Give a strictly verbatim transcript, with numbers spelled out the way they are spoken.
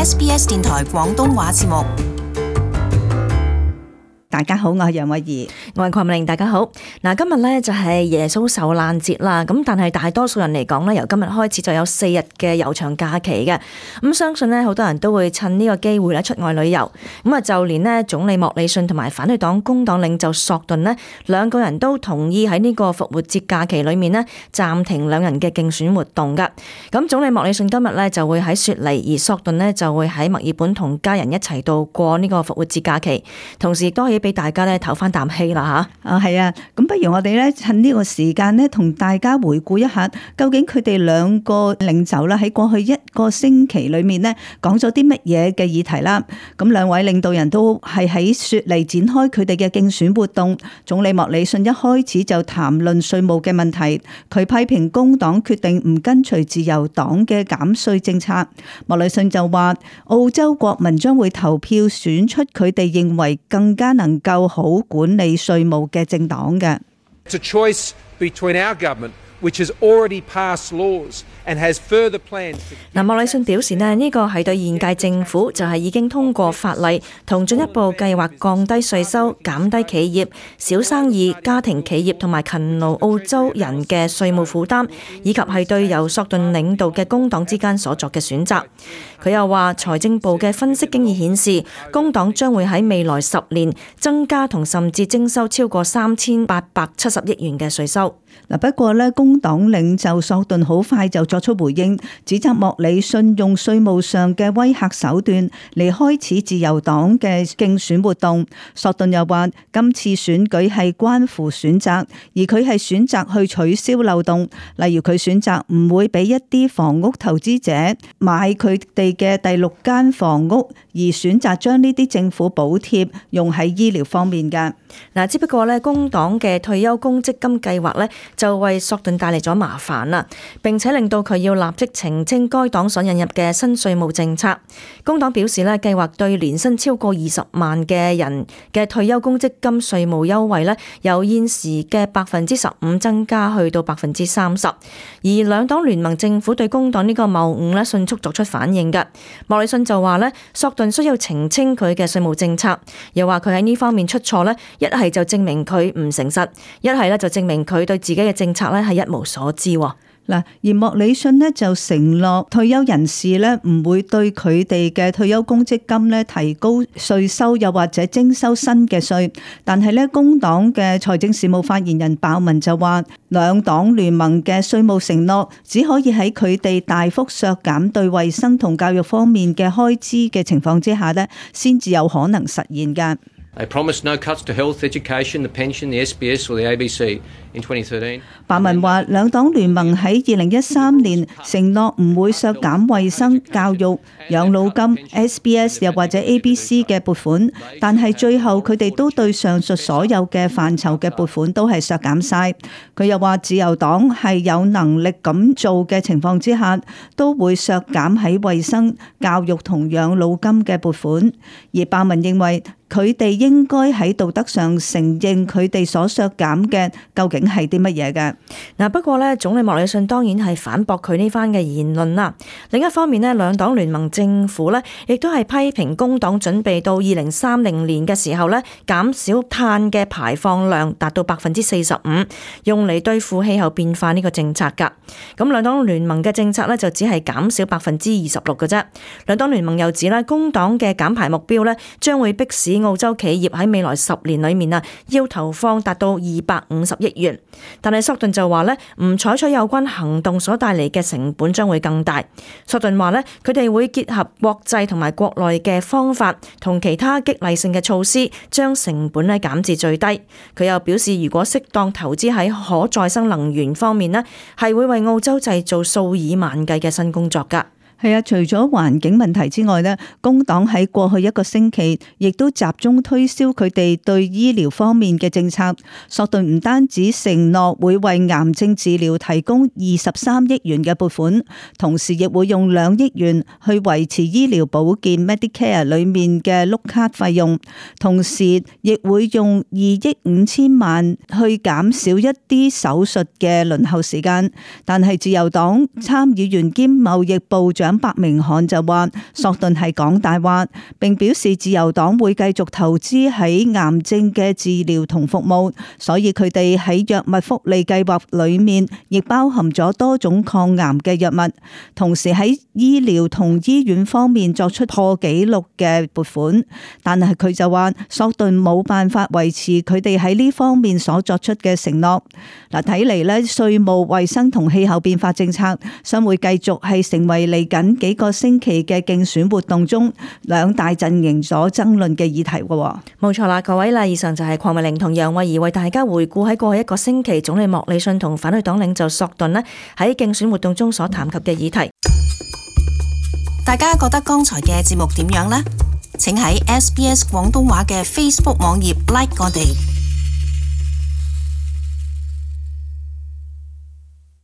S B S 電台廣東話節目。大家好，我係楊慧儀，我係鄺明，大家好。嗱，今日咧就係耶穌受難節啦，咁但係大多數人嚟講咧，由今日開始就有四日嘅悠長假期嘅，咁相信咧好多人都會趁呢個機會咧出外旅遊，咁啊就連咧總理莫里遜同埋反對黨工黨領袖索頓咧兩個人都同意喺呢個復活節假期裏面咧暫停兩人嘅競選活動噶。咁總理莫里遜今日咧就會喺雪梨，而索頓咧就會喺墨爾本同家人一齊度過呢個復活節假期，同時亦都可以俾大家咧唞翻啖氣啦吓。啊係啊，咁不如我哋咧趁呢個時間咧同大家回顧一下，究竟佢哋兩個領袖啦喺過去一個星期裏面咧講咗啲乜嘢嘅議題啦。咁兩位領導人都係喺雪梨展開佢哋嘅競選活動。總理莫里遜一開始就談論稅務嘅問題，佢批評工黨決定唔跟隨自由黨嘅減稅政策。莫里遜就話澳洲國民將會投票選出佢哋認為更加能夠好管理稅務嘅政黨嘅。It's a choice between our government, which has already passed laws and has further plans. 嗱，莫里遜表示呢，呢個係對現屆政府就係已經通過法例同進一步計劃降低稅收、減低企業、小生意、家庭企業同埋勤勞澳洲人嘅稅務負擔，以及係對由索頓領導嘅工黨之間所作嘅選擇。佢又話，財政部嘅分析經已顯示，工黨將會喺未來十年增加同甚至徵收超過三千八百七十億元嘅稅收。嗱，不過咧，工黨領袖索頓好快就作出回應，指責莫里遜用稅務上嘅威嚇手段嚟開始自由黨嘅競選活動。索頓又話，今次選舉係關乎選擇，而佢係選擇去取消漏洞，例如佢選擇唔會俾一啲房屋投資者買佢哋嘅第六間房屋，而選擇將呢啲政府補貼用喺醫療方面嘅。嗱，只不過咧，工黨嘅退休公積金計劃咧，就為索頓帶嚟咗麻煩啦，並且令到佢要立即澄清該黨所引入嘅新稅務政策。工黨表示咧，計劃對年薪超過二十萬嘅人嘅退休公積金稅務優惠咧，由現時嘅百分之十五增加去到百分之三十。而兩黨聯盟政府對工黨呢個謬誤咧，迅速作出反應嘅。莫里遜就話咧，索頓需要澄清佢嘅稅務政策，又話佢喺呢方面出錯咧，一係就證明佢唔誠實，一係咧就證明佢對自己嘅政策咧係一無所知。嗱，而莫里遜呢就承諾退休人士呢唔會對佢哋嘅退休公積金呢提高稅收，又或者徵收新嘅稅。但係呢，工黨嘅財政事務發言人鮑文就話，兩黨聯盟嘅稅務承諾只可以喺佢哋大幅削減對衛生同教育方面嘅開支嘅情況之下呢，先至有可能實現㗎。They promised no cuts to health, education, the pension, the S B S or the A B C in twenty thirteen. 鮑文話，兩黨聯盟喺二零一三年承諾唔會削減衛生、教育、養老金、S B S 又或者 A B C 嘅撥款，但係最後佢哋都對上述所有嘅範疇嘅撥款都係削減晒。佢又話，自由黨係有能力咁做嘅情況之下，都會削減喺衛生、教育同養老金嘅撥款。而鮑文認為，佢哋應該喺道德上承認佢哋所削減嘅究竟係啲乜嘢嘅。嗱，不過咧，總理莫里遜當然係反駁佢呢番嘅言論啦。另一方面咧，兩黨聯盟政府咧，亦都係批評工黨準備到二零三零年嘅時候咧，減少碳嘅排放量達到百分之四十五，用嚟對付氣候變化呢個政策㗎。咁兩黨聯盟嘅政策咧，就只係減少百分之二十六嘅啫。兩黨聯盟又指咧，工黨嘅減排目標咧，將會迫使澳洲企業喺未來十年裏面啊，要投放達到二百五十億元。但係索頓就話咧，唔採取有關行動所帶嚟嘅成本將會更大。索頓話咧，佢哋會結合國際同埋國內嘅方法，同其他激勵性嘅措施，將成本咧減至最低。佢又表示，如果適當投資喺可再生能源方面咧，係會為澳洲製造數以萬計嘅新工作㗎。係啊，除咗環境問題之外咧，工黨喺過去一個星期亦都集中推銷佢哋對醫療方面嘅政策。索頓唔單止承諾會為癌症治療提供二十三億元嘅撥款，同時亦會用兩億元去維持醫療保健 Medicare 裏面嘅碌卡費用，同時亦會用二億五千萬去減少一啲手術嘅輪候時間。但係自由黨參議員兼貿易部長長伯明翰就話索頓係講大話，並表示自由黨會繼續投資喺癌症嘅治療同服務，所以佢哋喺藥物福利計劃裏面亦包含咗多種抗癌嘅藥物，同時喺醫療同醫院方面作出破紀錄嘅撥款。但係佢就話索頓冇辦法維持佢哋喺呢方面所作出嘅承諾。嗱，睇嚟咧，稅務、衛生同氣候變化政策將會繼續係成為嚟緊幾個星期嘅競選活動中兩大陣營所爭論嘅議題嘅。冇錯啦，各位啦，以上就係鄺美玲同楊慧儀為大家回顧喺過去一個星期總理莫里遜同反對黨領袖索頓呢喺競選活動中所談及嘅議題。大家覺得剛才嘅節目點樣呢？請喺 S B S 廣東話嘅 Facebook 網頁 like 我哋。